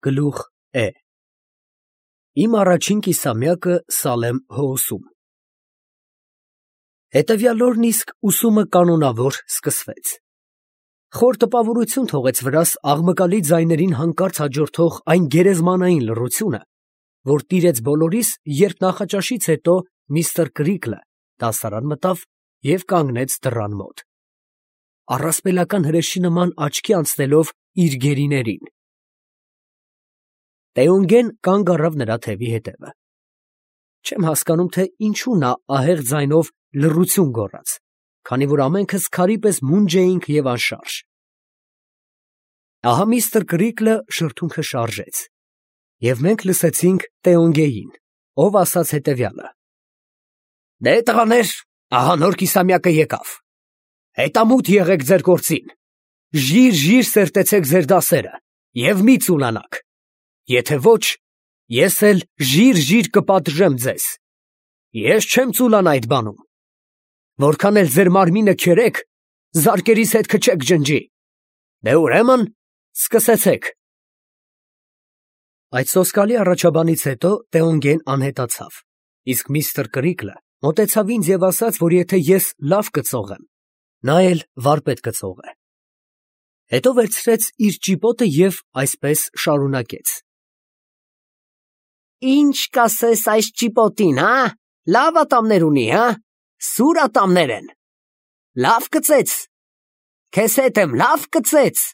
Գլուխ Է Իմ առաջին կիսամյակը Սալեմ Հոուսում։ Հետևյալ օրն իսկ ուսումը կանոնավոր սկսվեց։ Խոր տպավորություն թողեց վրաս աղմկալի ձայներին հանկարծ հաջորդող այն գերեզմանային լռությունը, որ տիրեց բոլորիս, երբ նախաճաշից հետո միստր Կրիքլը դասարան մտավ և կանգնեց դռան մոտ, առասպելական հրեշի նման աչքի անցնելով իր գերիներին։ Տեոնգեն կանգ առավ նրա թևի հետևը։ Չեմ հասկանում, թե ինչու նա ահեղ ձայնով լռություն գոռաց, քանի որ ամենքս քարի պես մունջ էինք և անշարժ։ Ահա միստր Կրիքլը շրթունքը շարժեց, և մենք լսեցինք Տեոնգեին, ով ասաց հետևյալը. «Դե տղաներ, ահա նոր կիսամյակը եկավ, հետամուտ եղեք ձեր գործին, ժիր սերտեցեք ձեր դասերը և մի ծուլանաք, եթե ոչ, ես էլ ժիր կպատժեմ ձեզ, ես չեմ ծուլանա այդ բանում, որքան էլ ձեր մարմինը քերեք, զարկերիս հետ քչեք ջնջի, դե ուրեմն սկսեցեք»։ Այդ սոսկալի առաջաբանից հետո Տեոնգեն անհետացավ, իսկ միստր Կրիքլը մոտեցավ ինձ և ասաց, որ եթե ես լավ կծող եմ, նա էլ վարպետ կծող է։ Հետո վերցրեց իր ճիպոտը և այսպես շարունակեց. «Ի՞նչ կասես այս ճիպոտին, հա, լավ ատամներ ունի, հա, սուր ատամներ են, լավ կծեց, քեզ հետ եմ, լավ կծեց»։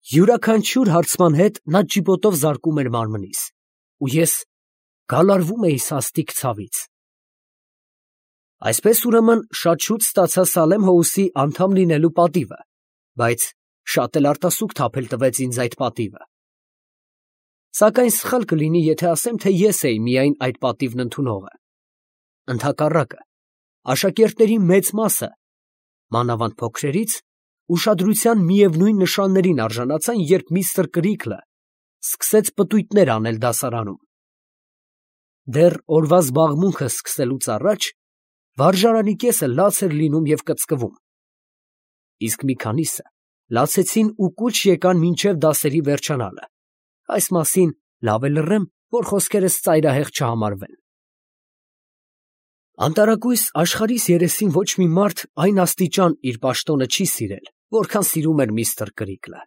Յուրաքանչյուր հարցման հետ նա ճիպոտով զարկում էր մարմնիս, ու ես գալարվում էի սաստիկ ցավից։ Այսպես ուրեմն շատ շուտ ստացա Սալեմ Հոուսի անդամ լինելու պատիվը, բայց շատ էլ արտասուք թափել տվեց ինձ այդ պատիվը։ Սակայն սխալ կլինի, եթե ասեմ, թե ես էի միայն այդ պատիվն ընդունողը։ Ընդհակառակը, աշակերտների մեծ մասը, մանավանդ փոքրերից, ուշադրության միևնույն նշաններին արժանացան, երբ միստր Կրիքլը սկսեց պտույտներ անել դասարանում։ Դեռ օրվա զբաղմունքը սկսելուց առաջ վարժարանի կեսը լաց էր լինում և կծկվում, իսկ մի քանիսը լացեցին ու կուչ եկան մինչև դասերի վերջանալը։ Այս մասին լավ է լռեմ, որ խոսքերս ծայրահեղ չհամարվեն։ Անտարակույս աշխարհիս երեսին ոչ մի մարդ այն աստիճան իր պաշտոնը չի սիրել, որքան սիրում էր միստր Կրիքլը։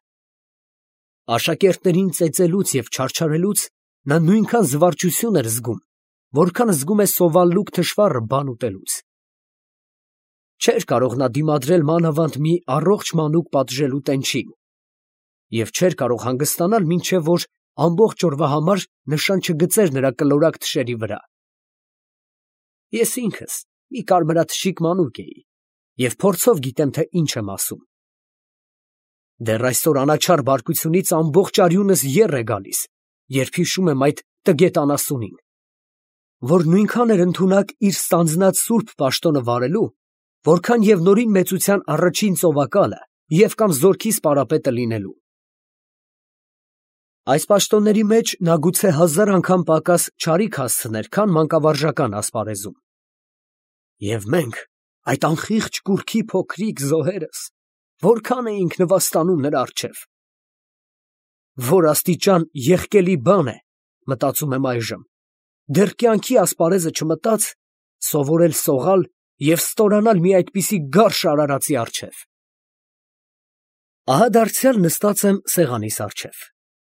Աշակերտներին ծեծելուց և չարչարելուց նա նույնքան զվարճություն էր զգում, որքան զգում է սովալլուկ թշվառը բան ուտելուց։ Չէր կարող նա դիմադրել մանավանդ մի առողջ մանուկ պատժելու տենչին և չէր կարող հանգստանալ, մինչև որ ամբողջ օրվա համար նշան չգծեր նրա կլորակ թշերի վրա։ Ես ինքս մի կարմրաթշիկ մանուկ էի և փորձով գիտեմ, թե ինչ եմ ասում։ Դեռ այսօր անաչառ բարկությունից ամբողջ արյունս եռ է գալիս, երբ հիշում եմ այդ տգետ անասունին, որ նույնքան էր ընդունակ իր ստանձնած սուրբ պաշտոնը վարելու, որքան և Նորին մեծության առաջին ծովակալը և կամ զորքի սպարապետը լինելու։ Այս պաշտոնների մեջ նա գուցե 1000 անգամ պակաս չարիք հասցներ, քան մանկավարժական ասպարեզում։ Եվ մենք, այդ անխիղճ կուռքի փոքրիկ զոհերս, որքան էինք նվաստանում նրա առջև։ Որ աստիճան եղկելի բան է, մտածում եմ այժմ, դեռ կյանքի ասպարեզը չմտած, սովորել սողալ և ստորանալ մի այդպիսի գարշ արարածի առջև։ Ահա դարձյալ նստած եմ սեղանիս առջև,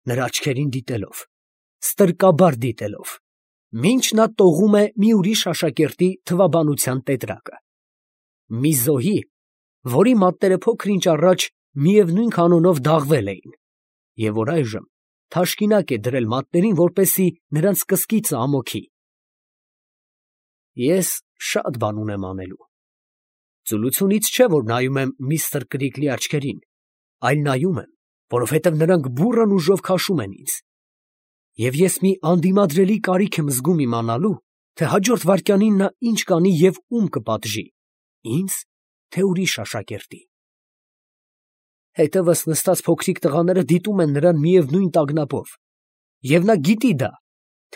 նրա աչքերին դիտելով, ստրկաբար դիտելով, մինչ նա տողում է մի ուրիշ աշակերտի թվաբանության տետրակը, մի զոհի, որի մատները փոքր-ինչ առաջ միևնույն կանոնով դաղվել էին, և որ այժմ թաշկինակ է դրել մատներին, որպեսզի նրանց կսկիծը ամոթի։ Ես շատ բան ունեմ անելու։ Ծուլությունից չէ, որ նայում եմ միստր Կրիքլի աչքերին, այլ նայում եմ, որովհետև նրանք բուռն ուժով քաշում են ինձ, և ես մի անդիմադրելի կարիք եմ զգում իմանալու, թե հաջորդ վայրկյանին նա ինչ կանի և ում կպատժի, ինձ, թե ուրիշ աշակերտի։ Հետևս նստած փոքրիկ տղաները դիտում են նրան միևնույն տագնապով, և նա գիտի դա,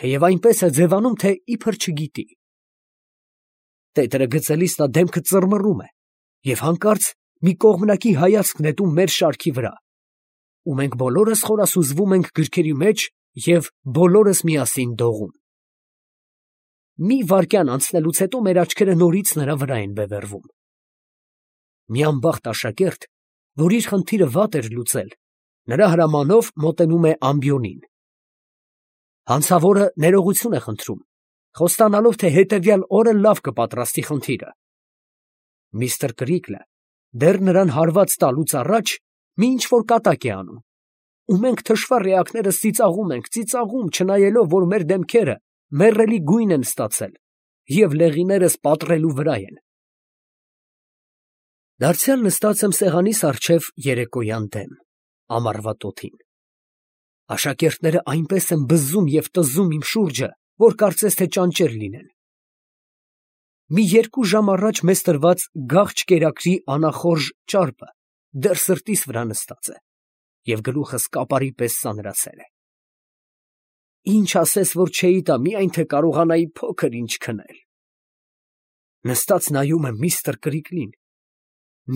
թեև այնպես է ձևանում, թե իբր չգիտի։ Տետրը գծելիս նա դեմքը ծռմռում է և հանկարծ մի կողմնակի հայացք նետում մեր շարքի վրա։ ու մենք բոլորս խորասուզվում ենք գրքերի մեջ և բոլորս միասին դողում։ Մի վայրկյան անցնելուց հետո մեր աչքերը նորից նրա վրա են բևեռվում։ Մի անբախտ աշակերտ, որ իր խնդիրը վատ էր լուծել, նրա հրամանով մոտենում է ամբիոնին։ Հանցավորը ներողություն է խնդրում, խոստանալով, թե հետևյալ օրը լավ կպատրաստի խնդիրը։ Միստր Կրիկլը դեռ նրան հարված տալուց առաջ մի ինչ-որ կատակ է անում, ու մենք թշվառ էակներս ծիծաղում, չնայելով, որ մեր դեմքերը մեռելի գույն են ստացել և լեղիներս պատռելու վրա են։ Դարձյալ նստած եմ սեղանիս առջև երեկոյան դեմ, ամառվա տոթին։ Աշակերտները այնպես են բզում և տզում իմ շուրջը, որ կարծես թե ճանճեր լինեն։ Մի 2 ժամ առաջ մեզ տրված գաղջ կերակրի անախորժ ճարպը դեռ սրտիս վրա նստած է և գլուխս կապարի պես սանրացել է։ Ինչ ասես, որ չէի տա, միայն թե կարողանայի փոքր ինչ քնել։ Նստած նայում եմ միստր Կրիկլին,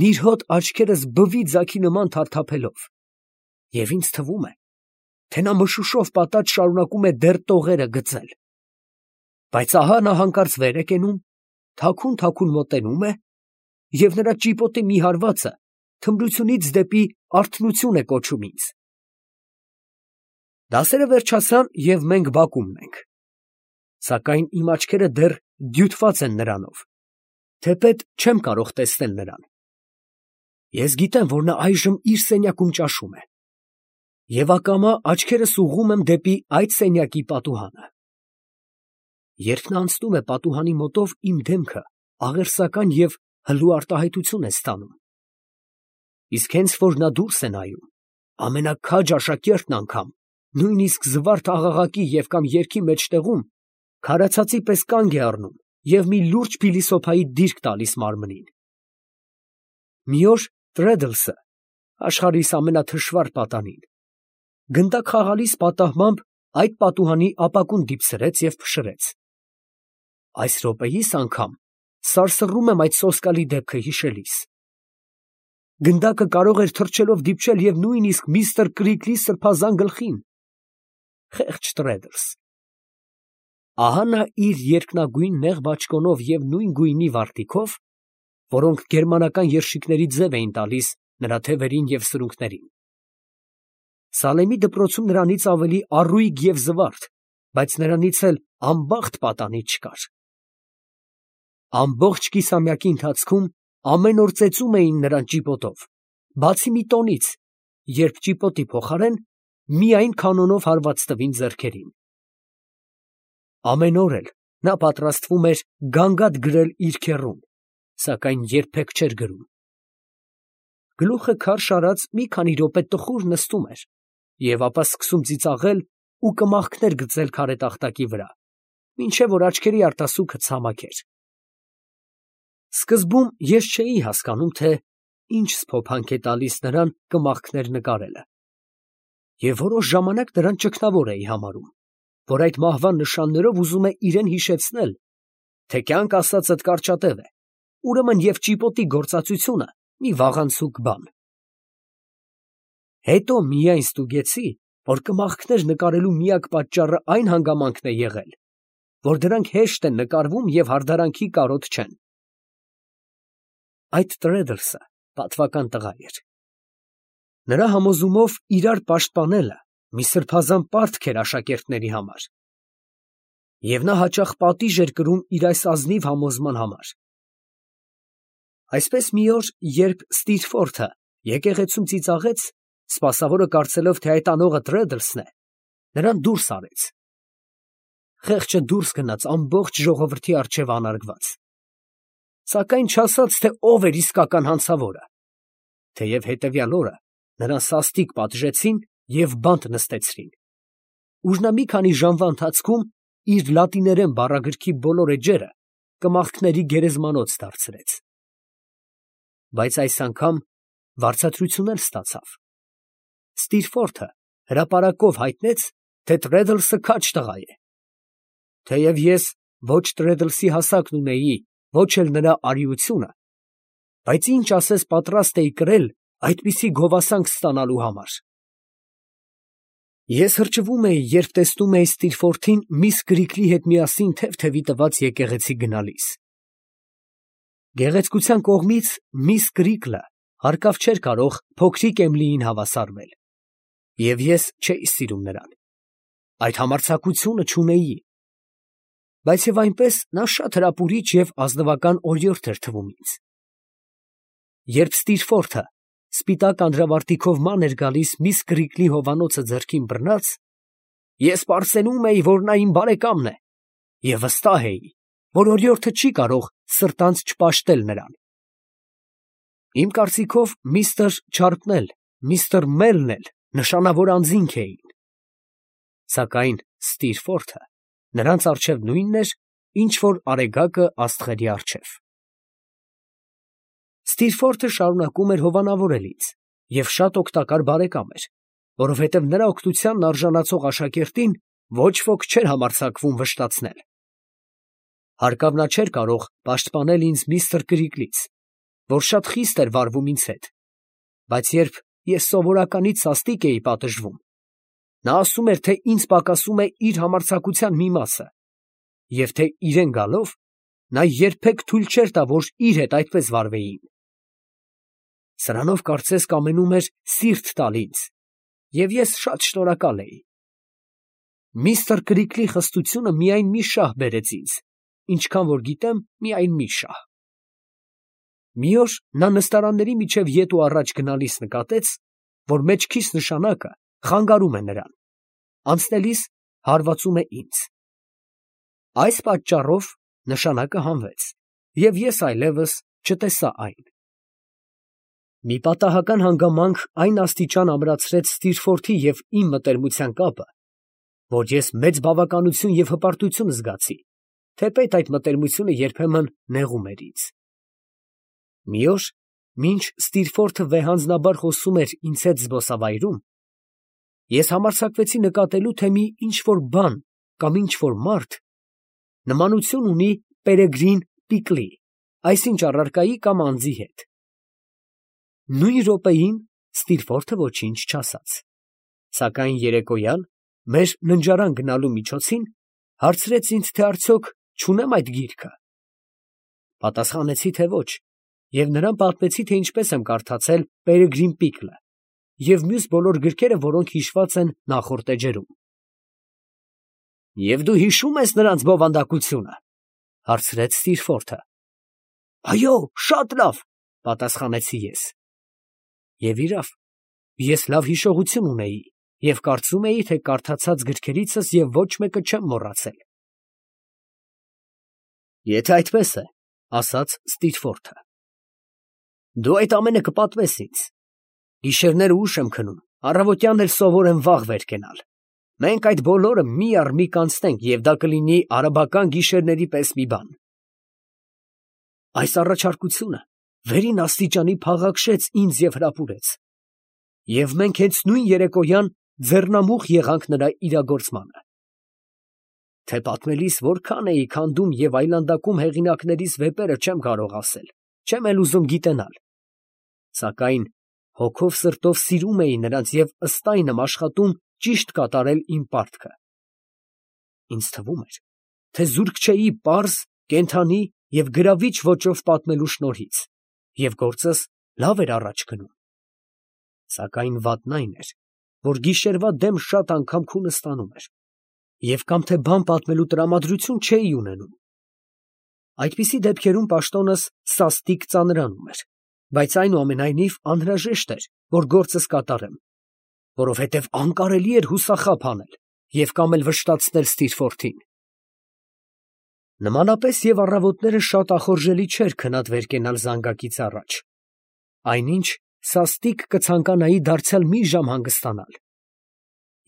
նիրհոտ աչքերս բվի ձագի նման թարթափելով, և ինձ թվում է, թե նա մշուշով պատած շարունակում է դեռ տողերը գծել։ Բայց ահա նա հանկարծ վեր է կենում, թաքուն մոտենում է, և նրա ճիպոտի մի հարվածը թմրությունից դեպի արթնություն է կոչում ինձ։ Դասերը վերջացան, և մենք բակումն ենք, սակայն իմ աչքերը դեռ դյութված են նրանով, թեպետ չեմ կարող տեսնել նրան։ Ես գիտեմ, որ նա այժմ իր սենյակում ճաշում է, և ակամա աչքերս ուղղում եմ դեպի այդ սենյակի պատուհանը։ Երբ նա անցնում է պատուհանի մոտով, իմ դեմքը աղերսական և հլու արտահայտություն է ստանում, իսկ հենց որ նա դուրս է նայում, ամենաքաջ աշակերտն անգամ, նույնիսկ զվարթ աղաղակի և կամ երգի մեջտեղում, քարացածի պես կանգ է առնում և մի լուրջ փիլիսոփայի դիրք տալիս մարմնին։ Մի օր Տրեդլսը, աշխարհիս ամենաթշվառ պատանին, գնդակ խաղալիս պատահմամբ այդ պատուհանի ապակուն դիպցրեց և փշրեց։ Այս րոպեիս անգամ սարսռում եմ այդ սոսկալի դեպքը հիշելիս։ Գնդակը կարող էր թռչելով դիպչել և նույնիսկ միստր Կրիկլի սրբազան գլխին։ Խեղճ Տրեդլս։ Ահա նա իր երկնագույն նեղ բաճկոնով և նույն գույնի վարտիքով, որոնք գերմանական երշիկների ձև էին տալիս նրա թևերին և սրունքներին։ Սալեմի դպրոցում նրանից ավելի առույգ և զվարթ, բայց նրանից էլ անբախտ պատանի չկար։ Ամբողջ կիսամյակի ընթացքում ամեն օր ծեծում էին նրան ճիպոտով, բացի մի տոնից, երբ ճիպոտի փոխարեն միայն քանոնով հարված տվին ձեռքերին։ Ամեն օր էլ նա պատրաստվում էր գանգատ գրել իր քեռուն, սակայն երբեք չէր գրում։ Գլուխը քարշ արած մի քանի րոպե տխուր նստում էր և ապա սկսում ծիծաղել ու կմախքներ գծել քարե տախտակի վրա, մինչև որ աչքերի արտասուքը ցամաք էր։ Սկզբում ես չէի հասկանում, թե ինչ սփոփանք է տալիս նրան կմախքներ նկարելը, և որոշ ժամանակ նրան ճգնավոր էի համարում, որ այդ մահվան նշաններով ուզում է իրեն հիշեցնել, թե կյանք ասածդ կարճատև է, ուրեմն և ճիպոտի գործածությունը մի վաղանցուկ բան։ Հետո միայն ստուգեցի, որ կմախքներ նկարելու միակ պատճառը այն հանգամանքն է եղել, որ դրանք հեշտ են նկարվում և հարդարանքի կարոտ չեն։ Այդ Տրեդլսը պատվական տղա էր։ Նրա համոզումով իրար պաշտպանելը մի սրբազան պարտք էր աշակերտների համար, և նա հաճախ պատիժ էր կրում իր այս ազնիվ համոզման համար։ Այսպես մի օր, երբ Ստիրֆորթը եկեղեցում ծիծաղեց, սպասավորը կարծելով, թե այդ անողը Տրեդլսն է, նրան դուրս արեց։ Խեղճը դուրս գնաց ամբողջ ժողովրդի առջև անարգված, սակայն չասաց, թե ով էր իսկական հանցավորը, թեև հետևյալ օրը նրան սաստիկ պատժեցին և բանտ նստեցրին, ուր նա մի քանի ժամվա ընթացքում իր լատիներեն բառագրքի բոլոր էջերը կմախքների գերեզմանոց դարձրեց։ Բայց այս անգամ վարձատրություն էլ ստացավ։ Ստիրֆորթը հրապարակով հայտնեց, թե Տրեդլսը քաջ տղա է։ Թեև ես ոչ Տրեդլսի հասակն ունեի, ոչ էլ նրա արիությունը, բայց ինչ ասես պատրաստ էի կրել այդպիսի գովասանք ստանալու համար։ Ես հրճվում էի, երբ տեսնում էի Ստիրֆորթին միս Գրիգլի հետ միասին թև֊թևի տված եկեղեցի գնալիս։ Գեղեցկության կողմից միս Գրիգլը հարկավ չէր կարող փոքրիկ Էմիլիին հավասարվել, և ես չէի սիրում նրան, այդ համարձակությունը չունեի, բայց և այնպես նա շատ հրապուրիչ և ազնվական օրիորդ էր թվում ինձ։ Երբ Ստիրֆորթը սպիտակ անդրավարտիքով ման էր գալիս միս Գրիգլի հովանոցը ձեռքին բռնած, ես պարծենում էի, որ նա իմ բարեկամն է, և վստահ էի, որ օրիորդը չի կարող սրտանց չպաշտել նրան։ Իմ կարծիքով միստր Չարպն էլ, միստր Մելն էլ նշանավոր անձինք էին, սակայն Ստիրֆորթը նրանց առջև նույնն էր, ինչ որ արեգակը աստղերի առջև։ Ստիրֆորթը շարունակում էր հովանավորել ինձ և շատ օգտակար բարեկամ էր, որովհետև նրա օգնությանն արժանացող աշակերտին ոչ ոք չէր համարձակվում վշտացնել։ Հարկավ նա չէր կարող պաշտպանել ինձ միստր Գրիգլից, որ շատ խիստ էր վարվում ինձ հետ, բայց երբ ես սովորականից սաստիկ էի պատժվում, նա ասում էր, թե ինձ պակասում է իր համարձակության մի մասը, և թե իրեն գալով, նա երբեք թույլ չէր տա, որ իր հետ այդպես վարվեին։ Սրանով կարծես կամենում էր սիրտ տալ ինձ, և ես շատ շնորհակալ էի։ Միստր Գրիգլի խստությունը միայն մի շահ բերեց ինձ, ինչքան որ գիտեմ, միայն մի շահ։ Մի օր նա նստարանների միջև ետ ու առաջ գնալիս նկատեց, որ մեջքիս նշանակը խանգարում է նրան, անցնելիս հարվածում է ինձ։ Այս պատճառով նշանակը հանվեց, և ես այլևս չտեսա այն։ Մի պատահական հանգամանք այն աստիճան ամրացրեց Ստիրֆորթի և իմ մտերմության կապը, որ ես մեծ բավականություն և հպարտություն զգացի, թեպետ այդ մտերմությունը երբեմն նեղում էր ինձ։ Մի օր, մինչ Ստիրֆորթը վեհանձնաբար խոսում էր ինձ հետ զբոսավայրում, ես համարձակվեցի նկատելու, թե մի ինչ֊որ բան կամ ինչ֊որ մարդ նմանություն ունի Պերեգրին Պիկլի, այսինչ առարկայի կամ անձի հետ։ Նույն րոպեին Ստիրֆորթը ոչինչ չասաց, սակայն երեկոյան, մեր ննջարան գնալու միջոցին, հարցրեց ինձ, թե արդյոք չունեմ այդ գիրքը։ Պատասխանեցի, թե ոչ, և նրան պատմեցի, թե ինչպես եմ կարդացել Պերեգրին Պիկլը և մյուս բոլոր գրքերը, որոնք հիշված են նախորդ էջերում։ ֊ Եվ դու հիշո՞ւմ ես նրանց բովանդակությունը, ֊ հարցրեց Ստիրֆորթը։ ֊ Այո, շատ լավ, ֊ պատասխանեցի ես։ Եվ իրավ, ես լավ հիշողություն ունեի և կարծում էի, թե կարդացած գրքերիցս և ոչ մեկը չեմ մոռացել։ ֊ Եթե այդպես է, ֊ ասաց Ստիրֆորթը, ֊ դու այդ ամենը կպատմես ինձ։ Գիշերները ուշ եմ քնում, առավոտյան էլ սովոր եմ վաղ վեր կենալ։ Մենք այդ բոլորը մի առ մի կանցնենք, և դա կլինի արաբական գիշերների պես մի բան։ Այս առաջարկությունը վերին աստիճանի փաղաքշեց ինձ և հրապուրեց, և մենք հենց նույն երեկոյան ձեռնամուխ եղանք նրա իրագործմանը։ Թե պատմելիս որքան էի քանդում և այլանդակում հեղինակներիս վեպերը չեմ կարող ասել, չեմ էլ ուզում գիտենալ, սակայն հոգով սրտով սիրում էի նրանց և ըստ այն եմ աշխատում ճիշտ կատարել իմ պարտքը։ Ինձ թվում էր, թե զուրկ չէի պարզ, կենդանի և գրավիչ ոճով պատմելու շնորհից, և գործս լավ էր առաջ գնում։ Սակայն վատն այն էր, որ գիշերվա դեմ շատ անգամ քունը ստանում էր, և կամ թե բան պատմելու տրամադրություն չէի ունենում։ Այդպիսի դեպքերում պաշտոնս սաստիկ ծանրանում էր, բայց այնուամենայնիվ անհրաժեշտ էր, որ գործս կատարեմ, որովհետև անկարելի էր հուսախաբ անել և կամ էլ վշտացնել Ստիրֆորթին։ Նմանապես և առավոտները շատ ախորժելի չէր քնած վեր կենալ զանգակից առաջ, այնինչ սաստիկ կցանկանայի դարձյալ մի ժամ հանգստանալ,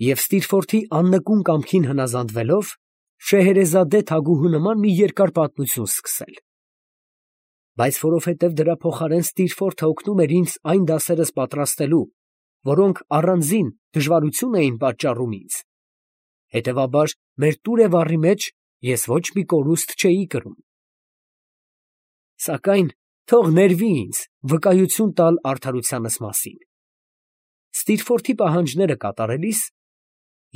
և Ստիրֆորթի աննկուն կամքին հնազանդվելով, Շեհերեզադե թագուհու նման մի երկար պատմություն սկսել։ Բայց որովհետև դրա փոխարեն Ստիրֆորթը օգնում էր ինձ այն դասերս պատրաստելու, որոնք առանձին դժվարություն էին պատճառում ինձ, հետևաբար մեր տուրը վառի մեջ ես ոչ մի կորուստ չէի կրում։ Սակայն թող ներվի ինձ վկայություն տալ արդարությանս մասին։ Ստիրֆորթի պահանջները կատարելիս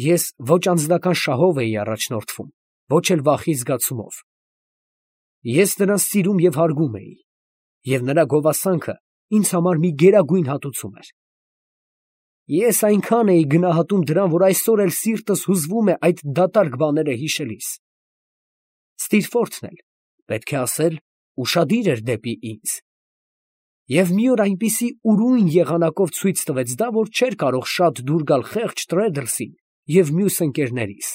Ես ոչ անձնական շահով էի առաջնորդվում, ոչ էլ վախի զգացումով. ես նրան սիրում և հարգում էի, և նրա գովասանքը ինձ համար մի գերագույն հատուցում էր։ Ես այնքան էի գնահատում դրան, որ այսօր էլ սիրտս հուզվում է այդ դատարկ բաները հիշելիս։ Ստիրֆորդն էլ, պետք է ասել, ուշադիր էր դեպի ինձ, և մի օր այնպիսի ուրույն եղանակով ցույց տվեց դա, որ չէր կարող շատ դուր գալ խեղճ Տրեդլսին և մյուս ընկերներիս։